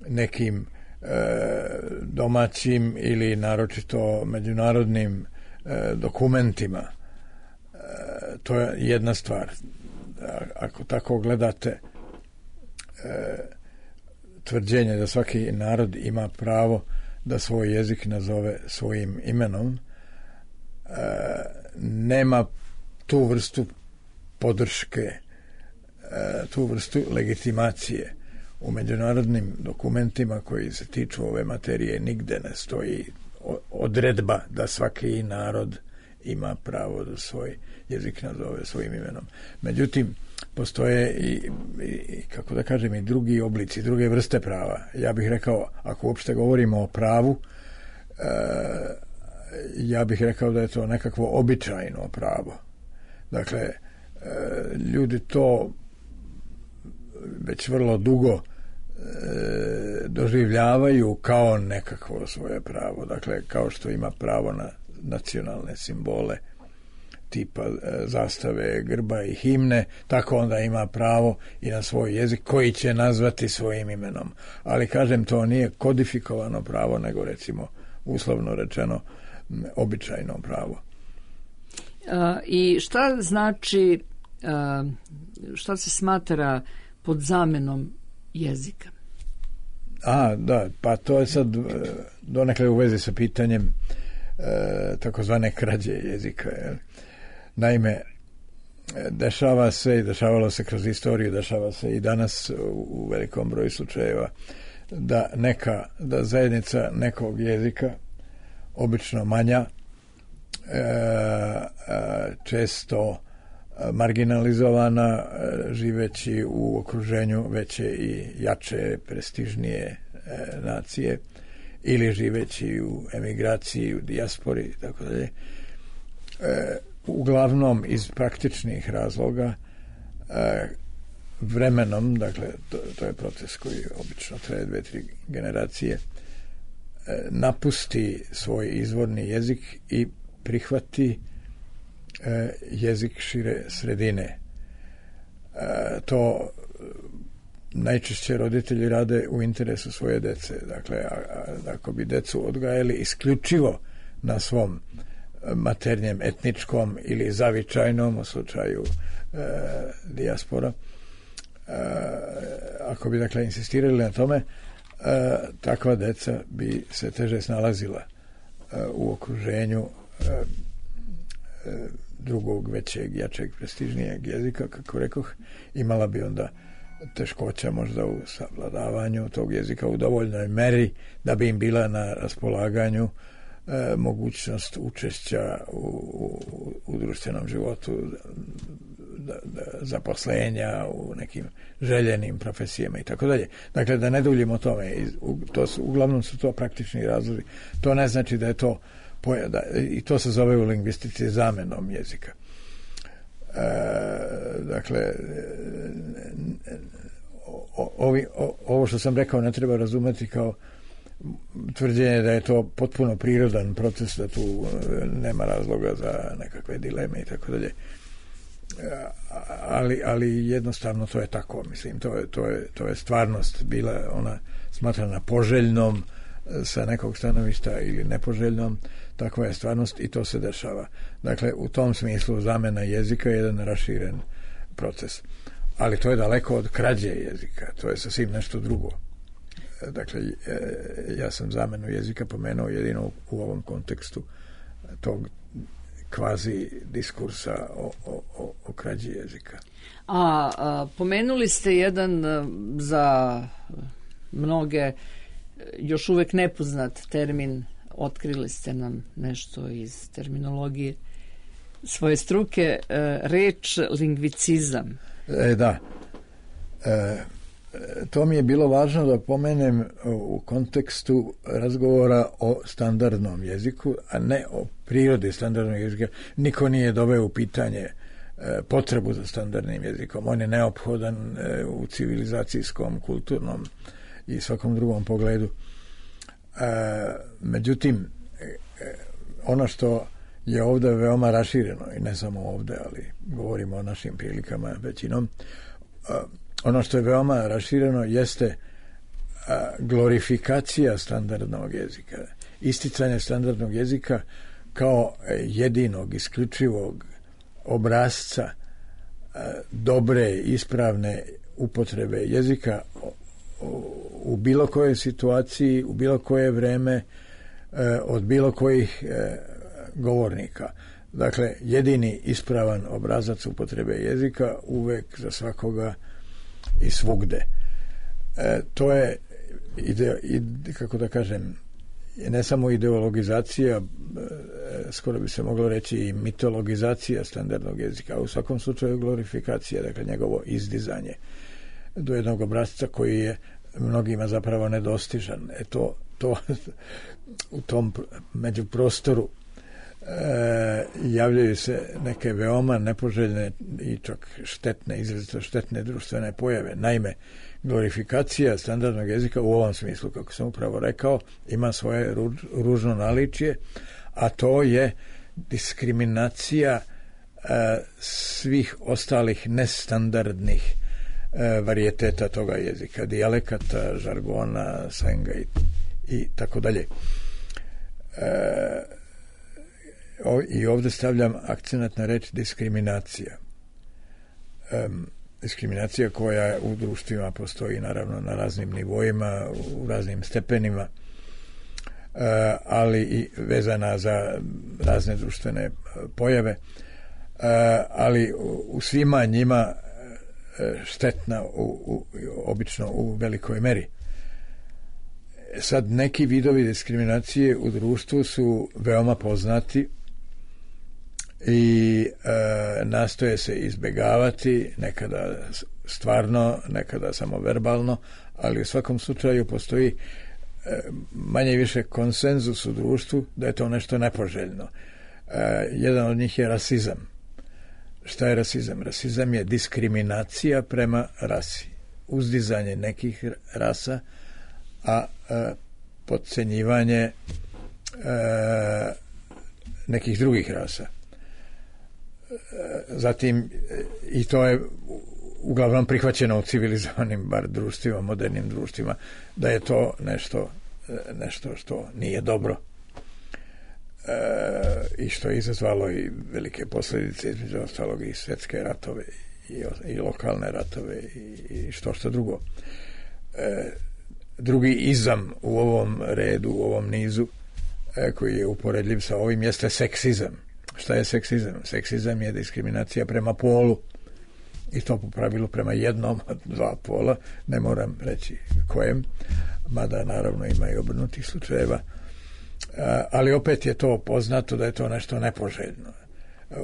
nekim domaćim ili naročito međunarodnim dokumentima, to je jedna stvar. Ako tako gledate tvrđenje da svaki narod ima pravo da svoj jezik nazove svojim imenom, nema tu vrstu podrške, tu vrstu legitimacije u međunarodnim dokumentima koji se tiču ove materije. Nigde ne stoji odredba da svaki narod ima pravo da svoj jezik nazove svojim imenom. Međutim, postoje i, i kako da kažem, i drugi oblici, druge vrste prava. Ja bih rekao, ako uopšte govorimo o pravu, e, ja bih rekao da je to nekakvo običajno pravo. Dakle, e, ljudi to već vrlo dugo e, doživljavaju kao nekakvo svoje pravo. Dakle, kao što ima pravo na nacionalne simbole tipa zastave, grba i himne, tako onda ima pravo i na svoj jezik koji će nazvati svojim imenom. Ali kažem, to nije kodifikovano pravo, nego recimo uslovno rečeno običajno pravo.
A, I šta znači, a, šta se smatra pod zamenom jezika?
A, da, pa to je sad donekle u vezi sa pitanjem e, takozvane krađe jezika. Je. Naime, dešava se i dešavalo se kroz istoriju, dešava se i danas u velikom broju slučajeva da neka, da zajednica nekog jezika, obično manja, e, često marginalizovana, živeći u okruženju veće i jače, prestižnije e, nacije, ili živeći u emigraciji, u dijaspori i tako dalje, e, uglavnom iz praktičnih razloga, e, vremenom, dakle to, to je proces koji obično traje dve, tri generacije, e, napusti svoj izvorni jezik i prihvati e, jezik šire sredine. E, to najčešće roditelji rade u interesu svoje dece. Dakle, a, a, ako bi decu odgajali isključivo na svom maternjem, etničkom ili zavičajnom, u slučaju e, dijaspora, e, ako bi dakle insistirali na tome, e, takva deca bi se teže snalazila e, u okruženju e, e, drugog, većeg, jačeg, prestižnijeg jezika, kako rekoh, imala bi onda teškoća možda u savladavanju tog jezika u dovoljnoj meri da bi im bila na raspolaganju E, mogućnost učešća u, u, u društvenom životu, da, da, zaposlenja u nekim željenim profesijama i tako dalje. Dakle, da ne duljimo o tome, to su, uglavnom su to praktični razlozi. To ne znači da je to da, i to se zove u lingvistici zamenom jezika. E, dakle, o, ovi, o, ovo što sam rekao ne treba razumeti kao tvrđenje da je to potpuno prirodan proces, da tu nema razloga za nekakve dileme i tako dalje. Ali, ali jednostavno to je tako, mislim, to je, to je, to je stvarnost bila ona smatrana poželjnom sa nekog stanovišta ili nepoželjnom, takva je stvarnost i to se dešava. Dakle, u tom smislu zamena jezika je jedan raširen proces. Ali to je daleko od krađe jezika, to je sasvim nešto drugo. Dakle, ja sam zamenu jezika pomenuo jedino u ovom kontekstu tog kvazi diskursa o, o, o krađi jezika.
A, a pomenuli ste jedan za mnoge još uvek nepoznat termin, otkrili ste nam nešto iz terminologije svoje struke, reč lingvicizam.
E, da. E, to mi je bilo važno da pomenem u kontekstu razgovora o standardnom jeziku, a ne o prirodi standardnog jezika. Niko nije doveo u pitanje potrebu za standardnim jezikom. On je neophodan u civilizacijskom, kulturnom i svakom drugom pogledu. E, međutim, ono što je ovdje veoma rašireno, i ne samo ovdje, ali govorimo o našim prilikama većinom, ono što je veoma rašireno jeste glorifikacija standardnog jezika, isticanje standardnog jezika kao jedinog, isključivog obrasca dobre, ispravne upotrebe jezika u bilo kojoj situaciji, u bilo koje vreme, od bilo kojih govornika. Dakle, jedini ispravan obrazac upotrebe jezika uvek za svakoga i svugde. E, to je ide, ide, kako da kažem, ne samo ideologizacija, e, skoro bi se moglo reći i mitologizacija standardnog jezika, a u svakom slučaju glorifikacija, dakle njegovo izdizanje do jednog obrazca koji je mnogima zapravo nedostižan. E to, to u tom međuprostoru e, javljaju se neke veoma nepoželjne i čak štetne, izrazito štetne društvene pojave. Naime, glorifikacija standardnog jezika u ovom smislu, kako sam upravo rekao, ima svoje ruž, ružno naličje, a to je diskriminacija e, svih ostalih nestandardnih e, varijeteta toga jezika, dijalekata, žargona, slenga i, i tako dalje. E, I ovdje stavljam akcenat na reč diskriminacija. E, diskriminacija koja u društvima postoji naravno na raznim nivoima, u raznim stepenima, ali i vezana za razne društvene pojave, ali u svima njima štetna u, u, obično u velikoj meri. Sad, neki vidovi diskriminacije u društvu su veoma poznati i e, nastoje se izbjegavati, nekada stvarno, nekada samo verbalno, ali u svakom slučaju postoji e, manje i više konsenzus u društvu da je to nešto nepoželjno. E, jedan od njih je rasizam. Šta je rasizam? Rasizam je diskriminacija prema rasi. Uzdizanje nekih rasa, a e, podcenjivanje e, nekih drugih rasa. Zatim, i to je uglavnom prihvaćeno u civilizovanim bar društvima, modernim društvima, da je to nešto, nešto što nije dobro e, i što je izazvalo i velike posljedice, između ostalog i svjetske ratove i, i lokalne ratove i, i što što drugo. E, drugi izam u ovom redu, u ovom nizu e, koji je uporedljiv sa ovim jeste seksizam. Šta je seksizam? Seksizam je diskriminacija prema polu i to po pravilu prema jednom od dva pola, ne moram reći kojem, mada naravno ima i obrnutih slučajeva, ali opet je to poznato da je to nešto nepoželjno,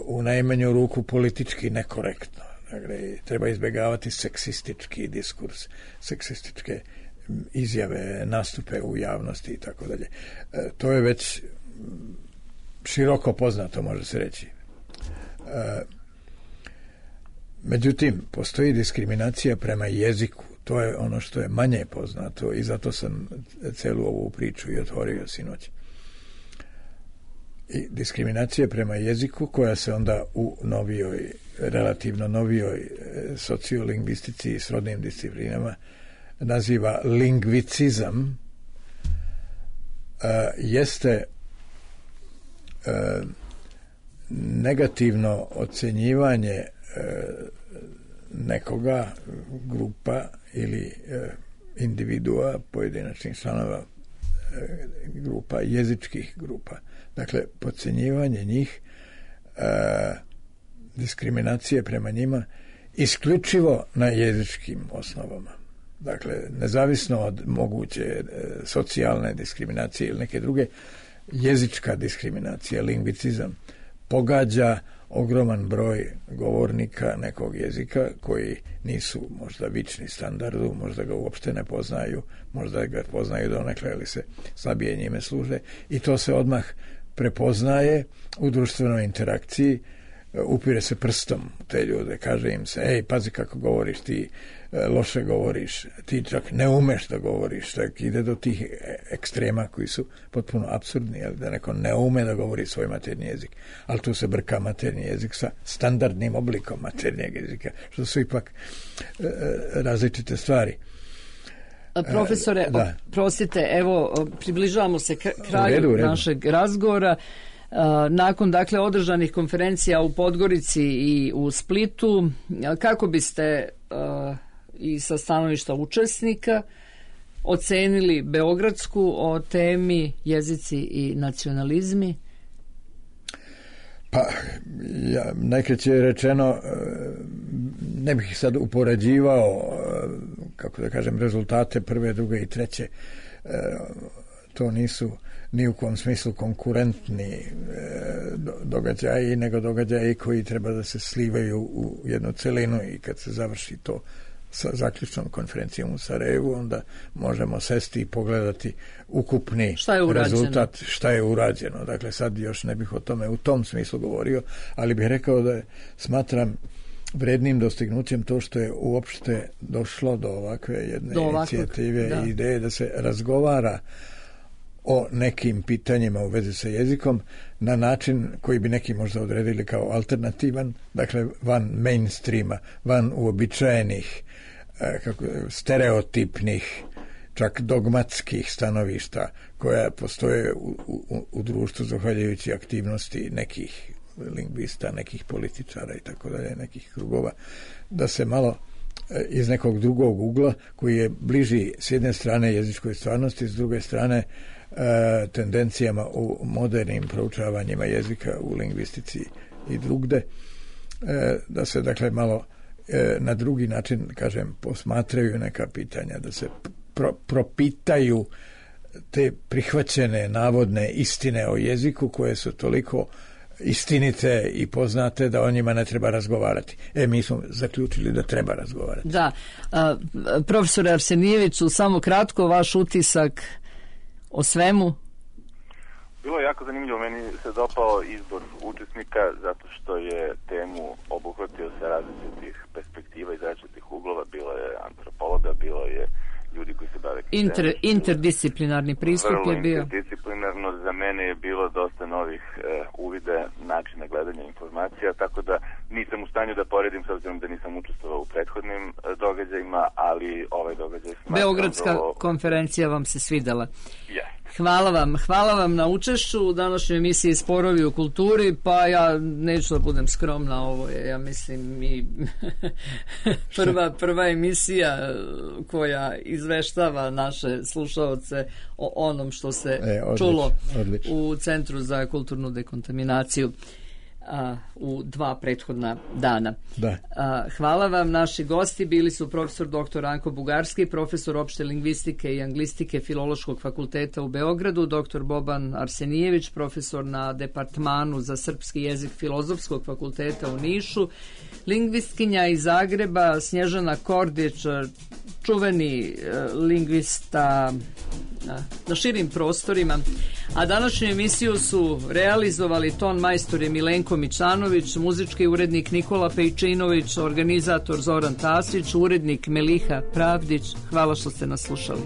u najmanju ruku politički nekorektno. Dakle, treba izbjegavati seksistički diskurs, seksističke izjave, nastupe u javnosti i tako dalje. To je već široko poznato, može se reći. E, međutim, postoji diskriminacija prema jeziku. To je ono što je manje poznato i zato sam celu ovu priču i otvorio sinoć. I diskriminacija prema jeziku koja se onda u novijoj, relativno novijoj sociolingvistici i srodnim disciplinama naziva lingvicizam, e, jeste E, negativno ocjenjivanje e, nekoga, grupa ili e, individua, pojedinačnih članova e, grupa, jezičkih grupa. Dakle, podcjenjivanje njih, e, diskriminacije prema njima isključivo na jezičkim osnovama. Dakle, nezavisno od moguće e, socijalne diskriminacije ili neke druge, jezička diskriminacija, lingvicizam, pogađa ogroman broj govornika nekog jezika koji nisu možda vični standardu, možda ga uopšte ne poznaju, možda ga poznaju donekle ili se slabije njime služe i to se odmah prepoznaje u društvenoj interakciji upire se prstom te ljude, kaže im se, ej, pazi kako govoriš, ti loše govoriš, ti čak ne umeš da govoriš, tak ide do tih ekstrema koji su potpuno apsurdni, jel, da neko ne ume da govori svoj maternji jezik, ali tu se brka maternji jezik sa standardnim oblikom maternjeg jezika, što su ipak e, različite stvari.
Profesore,
da.
Prostite, evo, približavamo se kraju
u redu, u redu. našeg
razgovora. Nakon, dakle, održanih konferencija u Podgorici i u Splitu, kako biste i sa stanovišta učesnika ocenili beogradsku o temi jezici i nacionalizmi?
Pa, ja, najkraće rečeno, ne bih sad upoređivao, kako da kažem, rezultate prve, druge i treće. To nisu ni u kom smislu konkurentni događaji, nego događaji koji treba da se slivaju u jednu celinu i kad se završi to sa zaključnom konferencijom u Sarajevu, onda možemo sesti i pogledati ukupni
šta je
rezultat, šta je urađeno. Dakle, sad još ne bih o tome u tom smislu govorio, ali bih rekao da je, smatram vrednim dostignućem to što je uopšte došlo do ovakve jedne do inicijative i ideje da se razgovara o nekim pitanjima u vezi sa jezikom na način koji bi neki možda odredili kao alternativan, dakle van mainstreama, van uobičajenih, kako, stereotipnih, čak dogmatskih stanovišta koja postoje u, u, u društvu zahvaljujući aktivnosti nekih lingvista, nekih političara i tako dalje, nekih krugova, da se malo iz nekog drugog ugla koji je bliži s jedne strane jezičkoj stvarnosti, s druge strane e, tendencijama u modernim proučavanjima jezika u lingvistici i drugde, e, da se dakle malo e, na drugi način, kažem, posmatraju neka pitanja, da se pro, propitaju te prihvaćene navodne istine o jeziku koje su toliko istinite i poznate da o njima ne treba razgovarati. E, mi smo zaključili da treba razgovarati.
Da. A, profesore Arsenijeviću, samo kratko vaš utisak o svemu?
Bilo je jako zanimljivo. Meni se dopao izbor učesnika zato što je temu obuhvatio sa različitih perspektiva iz različitih uglova. Bilo je antropologa, bilo je ljudi koji se bave
Inter, interdisciplinarni pristup je bio.
Interdisciplinarno, za mene je bilo dosta novih e, uvide, načina gledanja informacija, tako da nisam u stanju da poredim s obzirom da nisam učestvovao u prethodnim e, događajima, ali ovaj događaj smatram.
Beogradska
do...
konferencija vam se svidela.
Yes.
Hvala vam, hvala vam na učešću u današnjoj emisiji Sporovi u kulturi, pa ja neću da budem skromna, ovo je, ja mislim, i prva, prva emisija koja izveštava naše slušaoce o onom što se e, odlič, čulo odlič. u Centru za kulturnu dekontaminaciju a, u dva prethodna dana.
Da.
A, hvala vam. Naši gosti bili su profesor doktor Anko Bugarski, profesor opšte lingvistike i anglistike Filološkog fakulteta u Beogradu, doktor Boban Arsenijević, profesor na Departmanu za srpski jezik Filozofskog fakulteta u Nišu, lingvistkinja iz Zagreba Snježana Kordić, čuveni uh, lingvista uh, na širim prostorima. A današnju emisiju su realizovali ton majstor je Milenko Mičanović, muzički urednik Nikola Pejčinović, organizator Zoran Tasić, urednik Meliha Pravdić. Hvala što ste nas slušali.